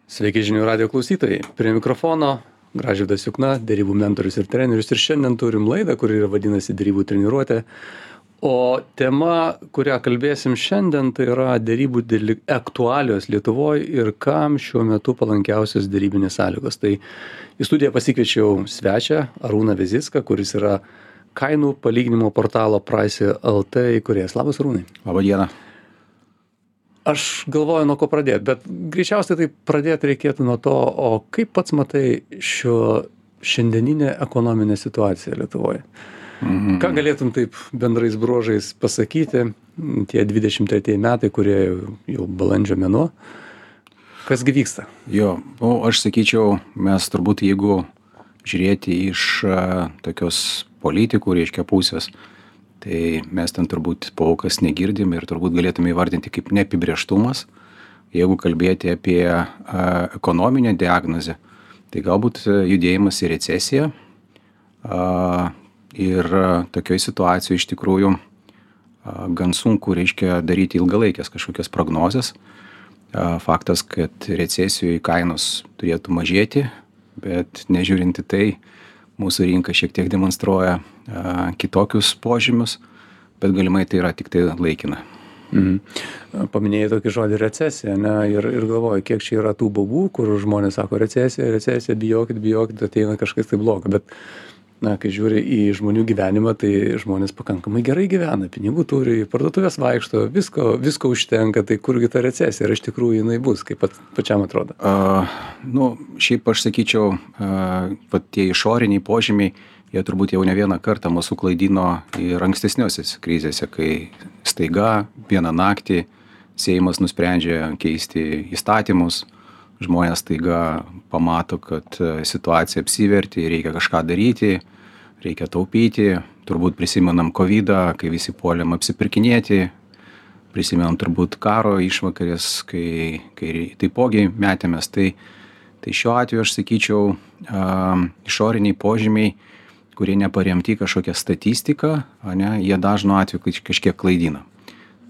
Sveiki žinių radio klausytojai. Prie mikrofono Gražvydas Jukna, derybų mentorius ir trenerius. Ir šiandien turim laidą, kuri vadinasi derybų treniruotė. O tema, kurią kalbėsim šiandien, tai yra derybų aktualios Lietuvoje ir kam šiuo metu palankiausios derybinės sąlygos. Tai į studiją pasikviečiau svečią Arūną Vizicką, kuris yra kainų palyginimo portalo Price.lt įkūrėjas. Labas, Arūnai. Labą dieną. Aš galvoju, nuo ko pradėti, bet greičiausiai tai pradėti reikėtų nuo to, o kaip pats matai šiandieninę ekonominę situaciją Lietuvoje? Ką galėtum taip bendrais bruožais pasakyti, tie 23 metai, kurie jau balandžio mėnuo, kasgi vyksta? Aš sakyčiau, mes turbūt jeigu žiūrėti iš tokios politikų, reiškia pusės, tai mes ten turbūt paukas negirdim ir turbūt galėtume įvardinti kaip neapibrėžtumas. Jeigu kalbėti apie ekonominę diagnozę, tai galbūt judėjimas į recesiją. Ir tokioj situacijoje iš tikrųjų gan sunku, reiškia, daryti ilgalaikės kažkokias prognozes. Faktas, kad recesijoje kainos turėtų mažėti, bet nežiūrinti tai, mūsų rinka šiek tiek demonstruoja kitokius požymius, bet galimai tai yra tik tai laikina. Paminėjai tokį žodį recesija, ne? Ir galvoju, kiek čia yra tų baubų, kur žmonės sako recesija, bijokit, ateina kažkas tai blogo. Bet kai žiūri į žmonių gyvenimą, tai žmonės pakankamai gerai gyvena, pinigų turi, parduotuvės vaikšto, visko užtenka, tai kurgi ta recesija, ir iš tikrųjų jinai bus, kaip pačiam atrodo? Šiaip aš sakyčiau, tie išoriniai požymiai, jie turbūt jau ne vieną kartą mūsų klaidino ir ankstesniuose krizėse, kai staiga vieną naktį Seimas nusprendžia keisti įstatymus, žmonės staiga pamato, kad situacija apsivertė, reikia kažką daryti, reikia taupyti. Turbūt prisimenam COVID-ą, kai visi puolėm apsipirkinėti, prisimenam turbūt karo išvakarės, kai taipogi metėmės. Tai šiuo atveju aš sakyčiau, išoriniai požymiai, kurie neparemti kažkokią statistiką, jie dažnu atveju kažkiek klaidina.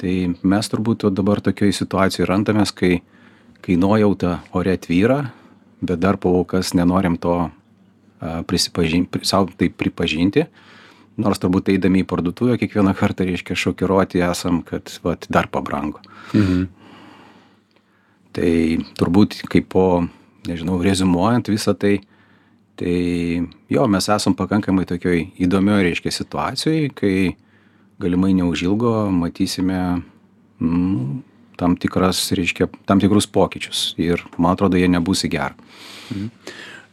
Tai mes turbūt dabar tokioje situacijoje randamės, kai nuojauta ore tvyra, bet dar paukas nenorim to savo tai pripažinti, nors turbūt eidami į parduotuvę kiekvieną kartą, reiškia, šokiruoti esam, kad dar pabrango. Tai turbūt kaip rezumuojant visą tai, mes esam pakankamai tokioj įdomioj, reiškia, situacijoj, kai galimai neužilgo matysime tam tikrus pokyčius ir, man atrodo, jie nebus į gerą.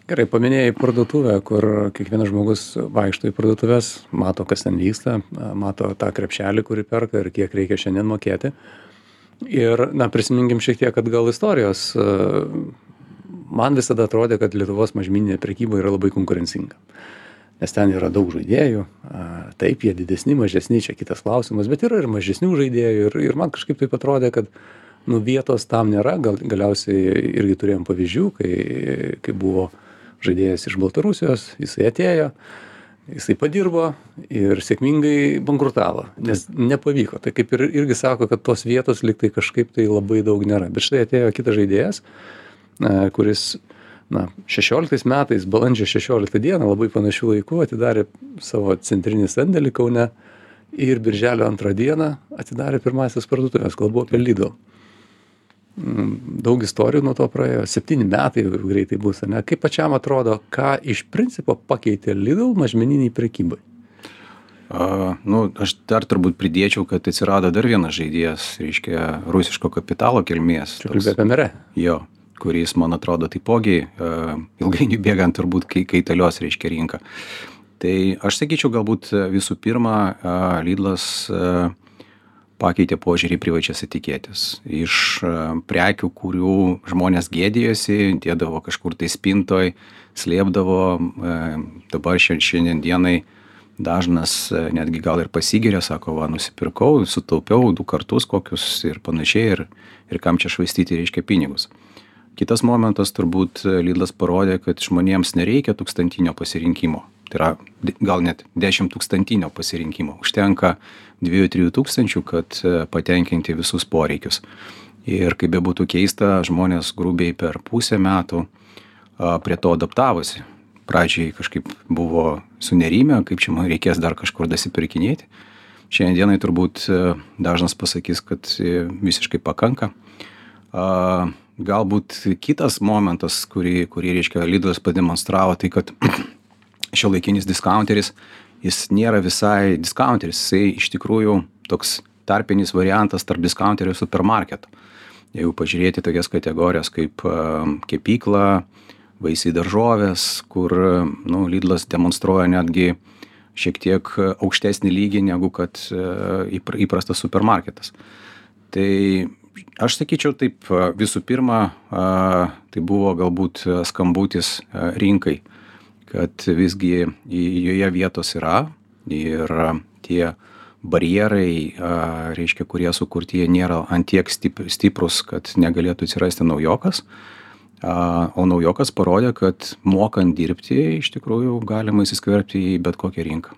Gerai, paminėjai parduotuvę, kur kiekvienas žmogus vaikšto į parduotuvės, mato, kas ten vyksta, mato tą krepšelį, kurį perka ir kiek reikia šiandien mokėti. Ir, prisiminkim šiek tiek atgal istorijos. Man visada atrodė, kad Lietuvos mažmeninė prekyba yra labai konkurencinga. Nes ten yra daug žaidėjų, taip, jie didesni, mažesni, čia kitas klausimas, bet yra ir mažesnių žaidėjų ir man kažkaip taip atrodė, kad vietos tam nėra, galiausiai irgi turėjom pavyzdžių, kai buvo žaidėjas iš Baltarusijos, jisai atėjo, jisai padirbo ir sėkmingai bankrutavo, nes nepavyko. Tai kaip ir irgi sako, kad tos vietos lyg tai kažkaip tai labai daug nėra, bet štai atėjo kitas žaidėjas, kuris 16 metais, balandžio 16 dieną, labai panašių laikų, atidarė savo centrinį sandėlį Kaune ir birželio 2 dieną atidarė pirmasis parduotuvės, kalbu apie Lidl. Daug istorijų nuo to praėjo, 7 metai greitai bus, ne? Kaip pačiam atrodo, ką iš principo pakeitė Lidl mažmeniniai prekybai? Aš dar turbūt pridėčiau, kad atsirado dar vienas žaidėjas, reiškia, rusiško kapitalo kilmės. Kalbė apie Merę. Jo, kuris, man atrodo, taipogi ilgainiui bėgant turbūt kaitalios, reiškia, rinką. Tai aš sakyčiau, galbūt visų pirma, Lidlas pakeitė požiūrį į privačias etiketės. Iš prekių, kurių žmonės gėdėjosi, dėdavo kažkur tai spintoj, slėpdavo, dabar šiandien dienai dažnas netgi gal ir pasigiria, sako, nusipirkau, sutaupiau 2 kartus kokius ir panašiai, ir kam čia švaistyti, reiškia, pinigus. Kitas momentas turbūt Lidlas parodė, kad žmonėms nereikia 1000 pasirinkimo. Tai yra gal net 10 000 pasirinkimo. Užtenka 2-3 tūkstančių, kad patenkinti visus poreikius. Ir kaip bebūtų keista, žmonės grubiai per pusę metų prie to adaptavosi. Pradžiai kažkaip buvo sunerimę, kaip čia man reikės dar kažkur dasipirkinėti. Šiandienai turbūt dažnas pasakys, kad visiškai pakanka. Galbūt kitas momentas, kurį reiškia Lidlas pademonstravo, tai kad šiuolaikinis diskaunteris, jis nėra visai diskaunteris, jisai iš tikrųjų toks tarpinis variantas tarp diskaunterio ir supermarketo. Jeigu pažiūrėti tokias kategorijas kaip kepykla, vaisiai daržovės, kur Lidlas demonstruoja netgi šiek tiek aukštesnį lygį negu kad įprastas supermarketas. Tai aš sakyčiau taip, visų pirma, tai buvo galbūt skambutis rinkai, kad visgi joje vietos yra ir tie barjerai, reiškia, kurie sukurti, jie nėra ant tiek stiprus, kad negalėtų atsirasti naujokas. O naujokas parodė, kad mokant dirbti, iš tikrųjų galima įsiskverbti į bet kokią rinką.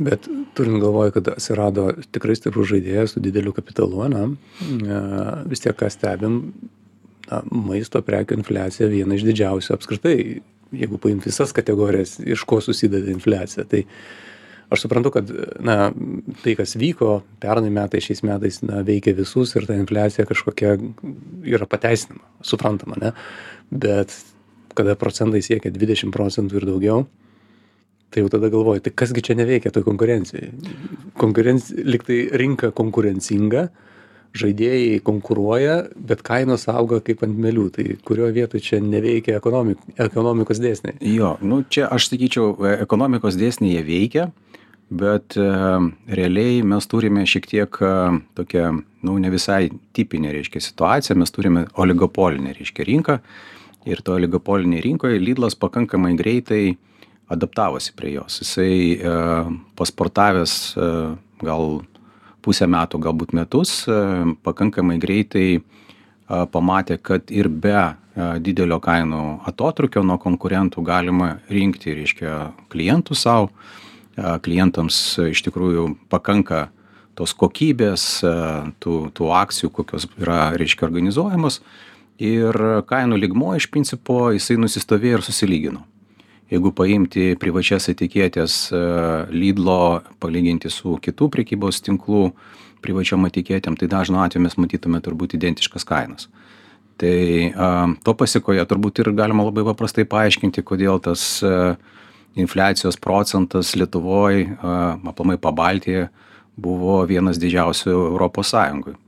Bet turint galvoje, kad atsirado tikrai stiprus žaidėjas su dideliu kapitalu, vis tiek ką stebim, maisto prekių infliacija viena iš didžiausių apskritai, jeigu paimti visas kategorijas, iš ko susideda infliacija. Tai aš suprantu, kad tai, kas vyko pernai metais, šiais metais veikia visus ir ta infliacija kažkokia yra pateisinama, suprantama, ne? Bet kada procentai siekia 20% ir daugiau, tai jau tada galvoju, tai kasgi čia neveikia toj konkurencijai? Liktai rinka konkurencinga, žaidėjai konkuruoja, bet kainos auga kaip ant mielių. Tai kurioje vietoje čia neveikia ekonomikos dėsniai? Jo, čia aš sakyčiau, ekonomikos dėsniai jie veikia, bet realiai mes turime šiek tiek tokią, ne visai tipinę, reiškia, situaciją, mes turime oligopolinę, reiškia, rinką ir to oligopolinėje rinkoje Lidlas pakankamai greitai adaptavosi prie jos. Jisai pasportavęs gal pusę metų, galbūt metus, pakankamai greitai pamatė, kad ir be didelio kainų atotrukio nuo konkurentų galima rinkti, reiškia, klientų savo. Klientams iš tikrųjų pakanka tos kokybės, tų akcijų, kokios yra, reiškia, organizuojamos. Ir kainų lygmuo iš principo jisai nusistovėjo ir susilygino. Jeigu paimti privačias etiketės Lidlo, palyginti su kitų prekybos tinklų privačiom etiketėm, tai dažnu atveju mes matytume turbūt identiškas kainas. Tai to pasiekoje turbūt ir galima labai paprastai paaiškinti, kodėl tas infliacijos procentas Lietuvoje, aplamai Pabaltyje, buvo vienas didžiausių Europos Sąjungoje.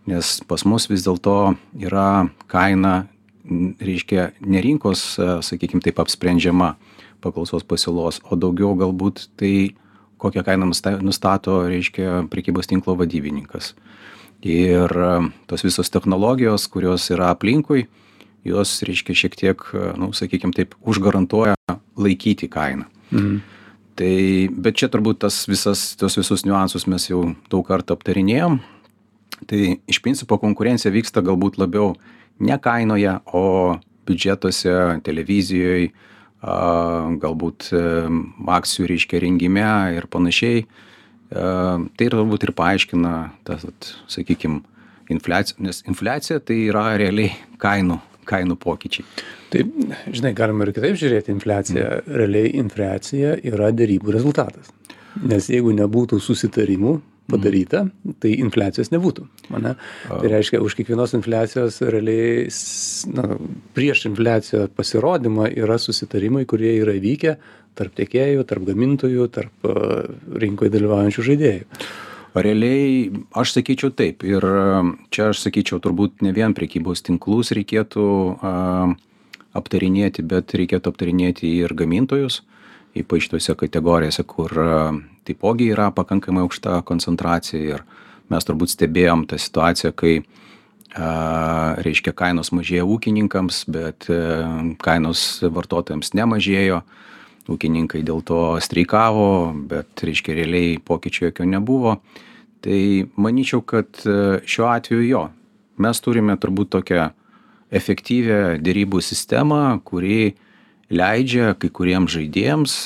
Nes pas mus vis dėlto yra kaina, reiškia, ne rinkos, sakykime, taip apsprendžiama paklausos pasiūlos, o daugiau galbūt tai, kokią kainą nustato, reiškia, prekybos tinklo vadybininkas. Ir tos visos technologijos, kurios yra aplinkui, jos, reiškia, šiek tiek, sakykime taip, užgarantuoja laikyti kainą. Tai, bet čia turbūt tos visus niuansus mes jau daug kartų aptarinėjom. Tai iš principo konkurencija vyksta galbūt labiau ne kainoje, o biudžetuose, televizijoje, galbūt akcijų, reiškia, rengime ir panašiai. Tai turbūt ir paaiškina tas, sakykime, infliacija, nes infliacija tai yra realiai kainų pokyčiai. Tai, žinai, galima ir kitaip žiūrėti infliaciją. Realiai infliacija yra derybų rezultatas. Nes jeigu nebūtų susitarimų padaryta, tai infliacijos nebūtų. Tai reiškia, už kiekvienos infliacijos realiai, prieš infliaciją pasirodymą yra susitarimai, kurie yra vykę tarp tiekėjų, tarp gamintojų, tarp rinkoje dalyvaujančių žaidėjų. Realiai, aš sakyčiau taip. Ir čia aš sakyčiau, turbūt ne vien prekybos tinklus reikėtų aptarinėti, bet reikėtų aptarinėti ir gamintojus, ypač tose kategorijose, kur taipogi yra pakankamai aukšta koncentracija. Ir mes turbūt stebėjom tą situaciją, kai, reiškia, kainos mažėjo ūkininkams, bet kainos vartotojams nemažėjo. Ūkininkai dėl to streikavo, bet, reiškia, realiai pokyčių jokio nebuvo. Tai manyčiau, kad šiuo atveju mes turime turbūt tokią efektyvią derybų sistemą, kuri leidžia kai kuriems žaidėjams,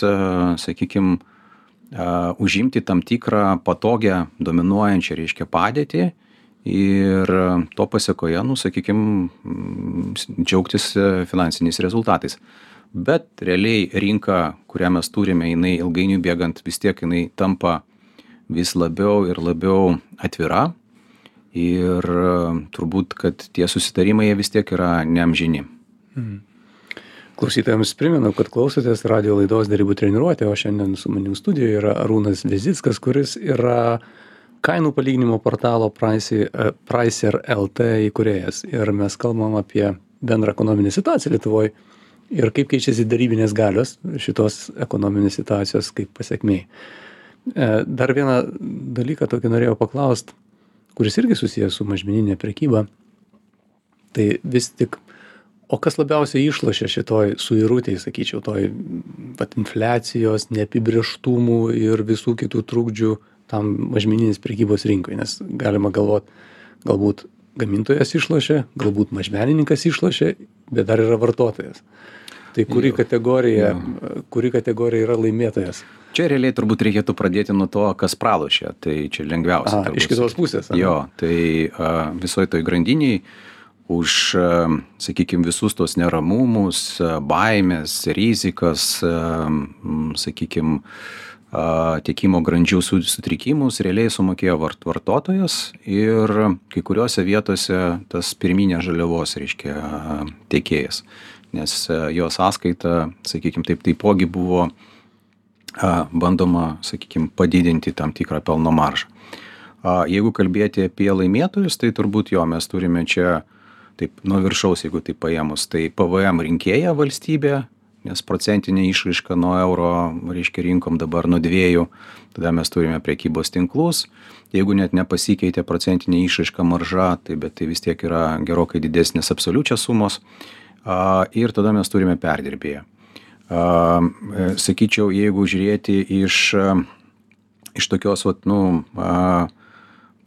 sakykime, užimti tam tikrą patogią, dominuojančią, reiškia, padėtį ir to pasekoje, nu, sakykime, džiaugtis finansiniais rezultatais. Bet realiai rinka, kurią mes turime, jinai ilgainiui bėgant vis tiek jinai tampa vis labiau ir labiau atvira ir turbūt, kad tie susitarimai jie vis tiek yra neamžini. Klausytojams primenu, kad klausotės radio laidos Derybų treniruotė, o šiandien su manim studijoje yra Arūnas Vizickas, kuris yra kainų palyginimo portalo Pricer LT įkūrėjas. Ir mes kalbam apie bendrą ekonominę situaciją Lietuvoje ir kaip keičiasi darybinės galios šitos ekonominės situacijos kaip pasekmė. Dar vieną dalyką tokį norėjau paklausti, kuris irgi susijęs su mažmeninė prekyba. Tai vis tik, o kas labiausiai išlošia šitoj suirutėj, sakyčiau, toj infliacijos, neapibrėžtumų ir visų kitų trukdžių tam mažmeninės prekybos rinkoje, nes galima galbūt gamintojas išlošia, galbūt mažmenininkas išlošia, bet dar yra vartotojas. Tai kuri kategorija yra laimėtojas? Čia realiai turbūt reikėtų pradėti nuo to, kas pralošia, tai čia lengviausia. Iš kitos pusės. Jo, tai visoje toj grandiniai už, sakykime, visus tos neramumus, baimės, rizikas, sakykime, tiekimo grandžių sutrikimus realiai sumokėjo vartotojas ir kai kuriuose vietose tas pirminės žaliavos, reiškia, tiekėjas, nes jo sąskaita, sakykime, taipogi buvo bandoma, sakykime, padidinti tam tikrą pelno maržą. Jeigu kalbėti apie laimėtojus, tai turbūt mes turime čia taip nuo viršaus, jeigu tai paėmus, tai PVM rinkėja valstybė, nes procentinė išraiška nuo euro, reiškia, rinkom dabar nuo 2, tada mes turime prekybos tinklus, jeigu net nepasikeitė procentinė išraiška marža, bet tai vis tiek yra gerokai didesnės absoliučios sumos, ir tada mes turime perdirbėją. Sakyčiau, jeigu žiūrėti iš tokios,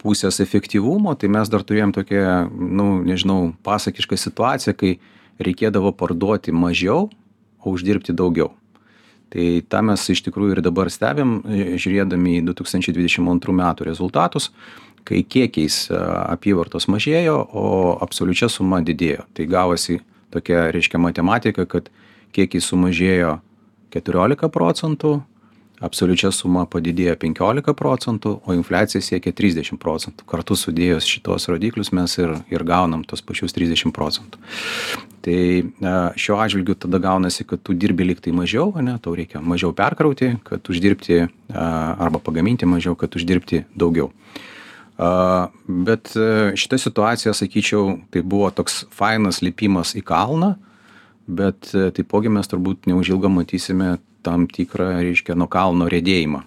pusės efektyvumo, tai mes dar turėjom tokią, pasakišką situaciją, kai reikėdavo parduoti mažiau, o uždirbti daugiau. Tai tą mes iš tikrųjų ir dabar stebim, žiūrėdami į 2022 metų rezultatus, kai kiekiais apyvartos mažėjo, o absoliučia suma didėjo. Tai gavosi tokia, reiškia, matematika, kad kiekiai sumažėjo 14%, absoliučia suma padidėjo 15%, o infliacija siekia 30%. Kartu sudėjus šitos rodiklius mes ir gaunam tos pačius 30%. Tai šiuo atžvilgiu tada gaunasi, kad tu dirbi lyg tai mažiau, tau reikia mažiau perkrauti, kad uždirbti arba pagaminti mažiau, kad uždirbti daugiau. Bet šita situacija, sakyčiau, tai buvo toks fainas lipimas į kalną, bet taipogi mes turbūt neužilgo matysime tam tikrą, reiškia, nuo kalno riedėjimą.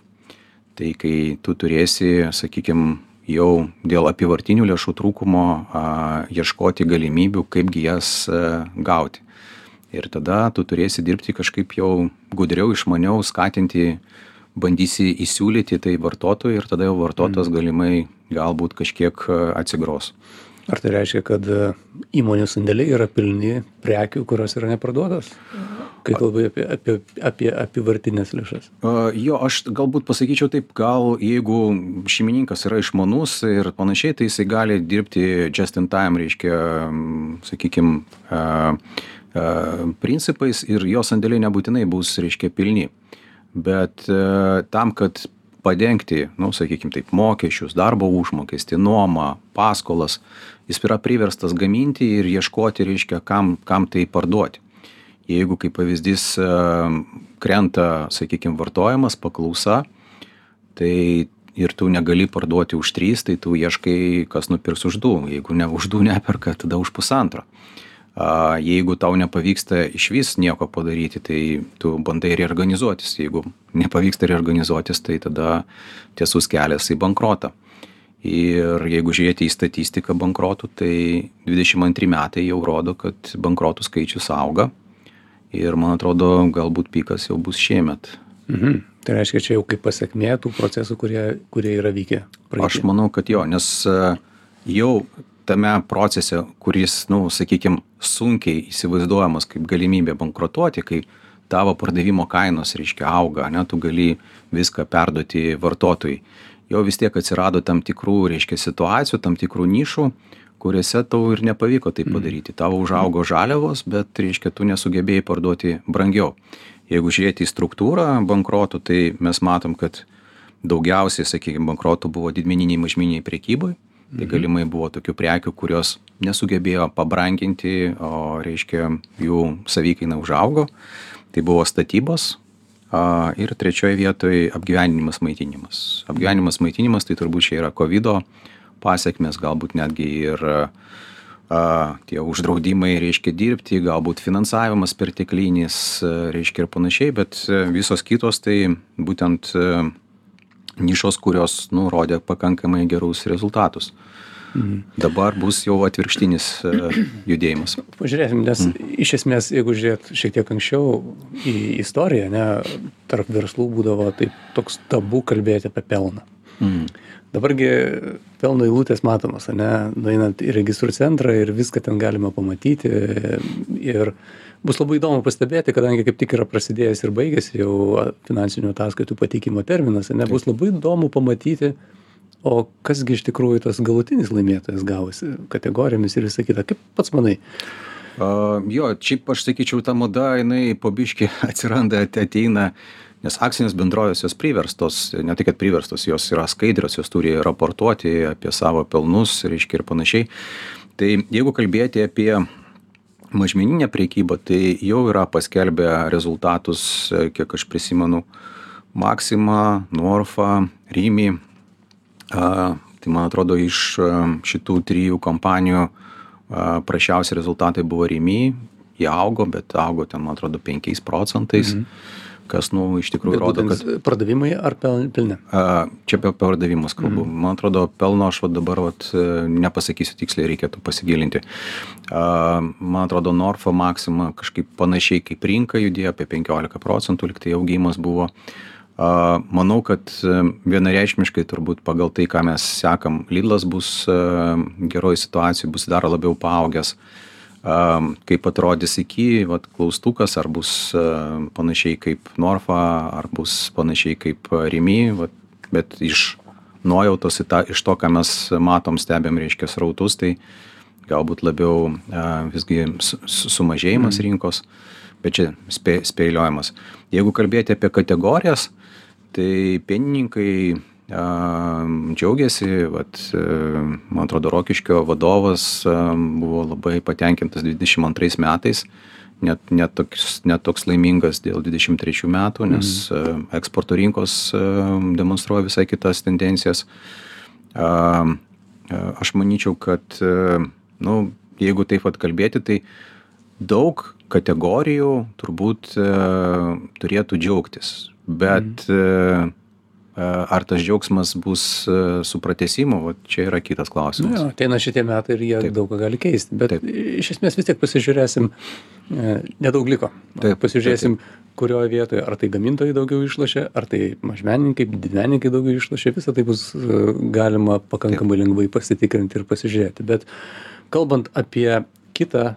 Tai kai tu turėsi, sakykime, jau dėl apyvartinių lėšų trūkumo ieškoti galimybių, kaipgi jas gauti. Ir tada tu turėsi dirbti kažkaip jau gudriau, išmaniau, skatinti, bandysi įsiūlyti tai vartotojui ir tada jau vartotojas galimai galbūt kažkiek atsigros. Ar tai reiškia, kad įmonių sandėliai yra pilni prekių, kurios yra neparduotos? Kai kalbai apie apyvartinės lėšas. Jo, aš galbūt pasakyčiau taip, gal jeigu šeimininkas yra išmanus ir panašiai, tai jisai gali dirbti just in time, reiškia, sakykime, principais ir jo sandėliai nebūtinai bus, reiškia, pilni. Bet tam, kad padengti, sakykime taip, mokesčius, darbo užmokestį, nuomą, paskolas, jis yra priverstas gaminti ir ieškoti, reiškia, kam tai parduoti. Jeigu, kaip pavyzdys, krenta, sakykime, vartojimas, paklausa, tai ir tu negali parduoti už 3, tai tu ieškai, kas nupirks už 2. Jeigu ne už 2 neperka, tada už 1,5. Jeigu tau nepavyksta išvis nieko padaryti, tai tu bandai reorganizuotis. Jeigu nepavyksta reorganizuotis, tai tada tiesus kelias į bankrotą. Ir jeigu žiūrėti į statistiką bankrotų, tai 22 metai jau rodo, kad bankrotų skaičius auga. Ir man atrodo, galbūt pikas jau bus šiemet. Tai reiškia, čia jau kaip pasekmė tų procesų, kurie yra vykę praeityje. Aš manau, kad jo, nes jau tame procese, kuris, sakykime, sunkiai įsivaizduojamas kaip galimybė bankrutuoti, kai tavo pardavimo kainos, reiškia, auga, tu gali viską perduoti vartotojui. jau vis tiek atsirado tam tikrų, reiškia, situacijų, tam tikrų nišų, kuriuose tau ir nepavyko tai padaryti. Tavo užaugo žaliavos, bet, reiškia, tu nesugebėjai parduoti brangiau. Jeigu žiūrėti į struktūrą bankrotų, tai mes matom, kad daugiausiai, sakykime, bankrotų buvo didmeniniai mažmeniniai prekybai. Tai galimai buvo tokių prekių, kurios nesugebėjo pabranginti, o, reiškia, jų savikaina užaugo. Tai buvo statybos. Ir trečioje vietoje apgyvendinimas, maitinimas. Apgyvendinimas, maitinimas, tai turbūt čia yra COVID-o pasiekmes, galbūt netgi ir tie uždraudimai, reiškia, dirbti, galbūt finansavimas perteklinis, reiškia, ir panašiai, bet visos kitos tai būtent nišos, kurios, rodė pakankamai gerus rezultatus. Dabar bus jau atvirkštinis judėjimas. Pažiūrėsim, nes iš esmės, jeigu žiūrėt šiek tiek anksčiau į istoriją, tarp verslų būdavo toks tabu kalbėti apie pelną. Dabargi pelno eilutės matomos, nueinant į registrų centrą ir viską ten galima pamatyti. Ir bus labai įdomu pastebėti, kadangi kaip tik yra prasidėjęs ir baigėsi jau finansinių ataskaitų pateikimo terminas, bus labai įdomu pamatyti, o kasgi iš tikrųjų tas galutinis laimėtojas gavosi kategorijomis ir visą kitą. Kaip pats manai? Jo, šiaip aš sakyčiau, ta mada, jinai po biškį atsiranda, ateina, nes akcinės bendrovės jos priverstos, ne tai kad priverstos, jos yra skaidrios, jos turi raportuoti apie savo pelnus, reiškia, ir panašiai. Tai jeigu kalbėti apie mažmeninę prekybą, tai jau yra paskelbę rezultatus, kiek aš prisimenu, Maxima, Norfa, Rimi. Tai man atrodo, iš šitų trijų kompanijų prašiausi rezultatai buvo Rimi, jie augo, bet augo ten, man atrodo, 5%, kas, iš tikrųjų rodo, kad... Pardavimai ar pelne? Čia apie pardavimus kalbu. Man atrodo, pelno aš dabar nepasakysiu tiksliai, reikėtų pasigilinti. Man atrodo, Norfa, Maxima kažkaip panašiai kaip rinka judėjo, apie 15%, lyg tai augimas buvo. Manau, kad vienareikšmiškai turbūt pagal tai, ką mes sekam, Lidlas bus geroj situacijai, bus dar labiau paaugęs. Kaip atrodys iki, klaustukas, ar bus panašiai kaip Norfa, ar bus panašiai kaip Rimi, bet iš nuojautos, iš to, ką mes matom, stebėm, reiškia, srautus, tai galbūt labiau visgi sumažėjimas rinkos, bet čia spėliojimas. Jeigu kalbėti apie kategorijas, tai pienininkai džiaugiasi, man atrodo, Rokiškio vadovas buvo labai patenkintas 22 metais, net toks laimingas dėl 23 metų, nes eksporto rinkos demonstruoja visai kitas tendencijas. Aš manyčiau, kad, jeigu taip kalbėti, tai daug kategorijų turbūt turėtų džiaugtis, bet ar tas džiaugsmas bus su pratęsimu, čia yra kitas klausimas. Ateina šitie metai ir jie daug ką gali keisti, bet iš esmės vis tiek pasižiūrėsim, nedaug liko. Pasižiūrėsim, kurioje vietoje, ar tai gamintojai daugiau išlošia, ar tai mažmenininkai, didmenininkai daugiau išlošia, visą tai bus galima pakankamai lengvai pasitikrinti ir pasižiūrėti. Bet kalbant apie kitą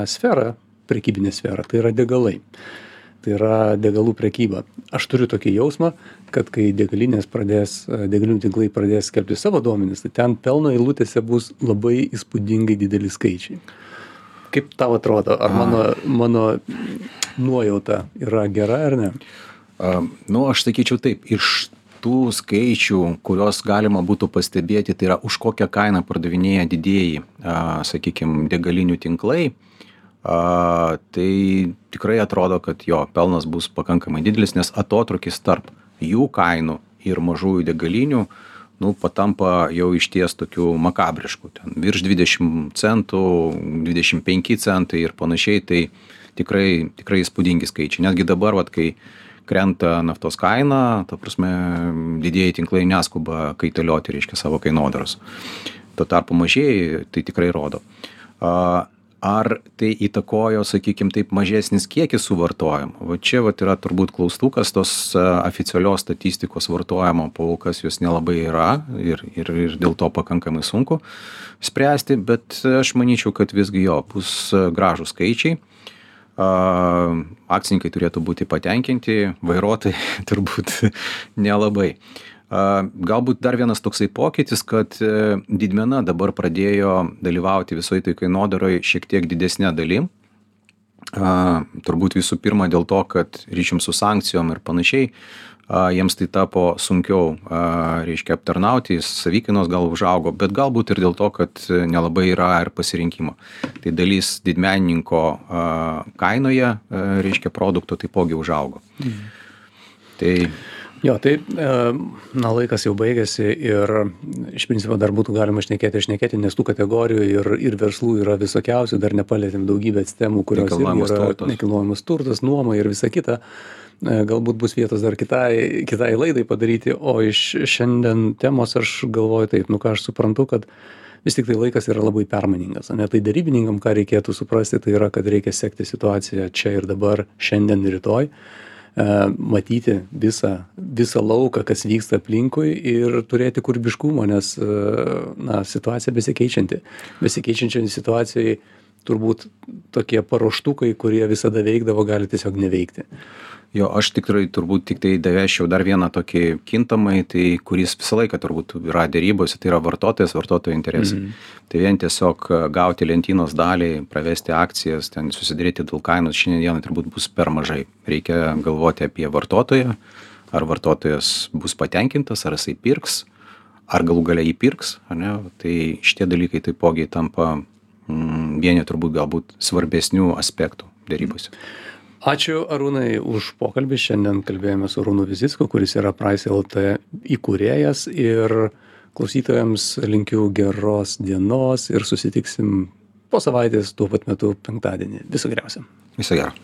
sferą, prekybinę sferą, tai yra degalai. Tai yra degalų prekyba. Aš turiu tokį jausmą, kad kai degalinių tinklai pradės skelbti savo duomenis, tai ten pelno eilutėse bus labai įspūdingai dideli skaičiai. Kaip tau atrodo, ar mano nuojauta yra gera ar ne? Aš sakyčiau taip, iš tų skaičių, kurios galima būtų pastebėti, tai yra už kokią kainą pardavinėja didieji, sakykime, degalinių tinklai, tai tikrai atrodo, kad jo pelnas bus pakankamai didelis, nes atotrukis tarp jų kainų ir mažųjų degalinių patampa jau išties tokių makabriškų. Ten virš 20 centų, 25 centai ir panašiai, tai tikrai įspūdingi skaičiai. Netgi dabar, kai krenta naftos kaina, ta prasme, didieji tinklai neskuba kaitalioti, reiškia, savo kainodaros. Tuo tarpu mažieji tai tikrai rodo. Ar tai įtakojo, sakykime, taip mažesnis kiekis suvartojimo? Čia yra turbūt klaustukas, tos oficialios statistikos vartojimo paukas jos nelabai yra ir dėl to pakankamai sunku spręsti, bet aš manyčiau, kad visgi bus gražūs skaičiai. Akcininkai turėtų būti patenkinti, vairuotojai turbūt nelabai. Galbūt dar vienas toksai pokytis, kad didmena dabar pradėjo dalyvauti visoje tai kainodaroje šiek tiek didesnė dalim. Turbūt visų pirma dėl to, kad ryšium su sankcijom ir panašiai, jiems tai tapo sunkiau, reiškia, aptarnauti, savikainos gal užaugo, bet galbūt ir dėl to, kad nelabai yra ir pasirinkimo. Tai dalis didmenininko kainoje, reiškia, produkto taipogi užaugo. Tai Jo, tai, laikas jau baigėsi ir iš principo dar būtų galima šnekėti, nes tų kategorijų ir verslų yra visokiausių, dar nepalėtėm daugybės temų, kurios yra nekilnojamas turtas, nuoma ir visa kita. Galbūt bus vietos dar kitai laidai padaryti, o iš šiandien temos aš galvoju taip, ką aš suprantu, kad vis tik tai laikas yra labai permainingas. Tai darybininkam, ką reikėtų suprasti, tai yra, kad reikia sekti situaciją čia ir dabar, šiandien ir rytoj, matyti visą lauką, kas vyksta aplinkui ir turėti kūrybiškumo, nes situacija besikeičianti. Besikeičiančiai situacijai turbūt tokie paruoštukai, kurie visada veikdavo, gali tiesiog neveikti. Jo, aš tikrai turbūt tik tai davėčiau dar vieną tokį kintamai, tai kuris visą laiką turbūt yra dėrybose, tai yra vartotojo interesai. Tai vien tiesiog gauti lentynos dalį, pravesti akcijas, ten susidaryti dėl kainos šiandien turbūt bus per mažai. Reikia galvoti apie vartotoją, ar vartotojas bus patenkintas, ar jisai pirks, ar galų gale įpirks, ar ne? Tai šitie dalykai taipogi tampa vieni turbūt galbūt svarbesnių aspektų dėrybose. Ačiū Arūnai už pokalbį. Šiandien kalbėjome su Arūnu Vizicku, kuris yra Price LT įkūrėjas, ir klausytojams linkiu geros dienos ir susitiksim po savaitės tuo pat metu penktadienį. Viso geriausio. Viso gero.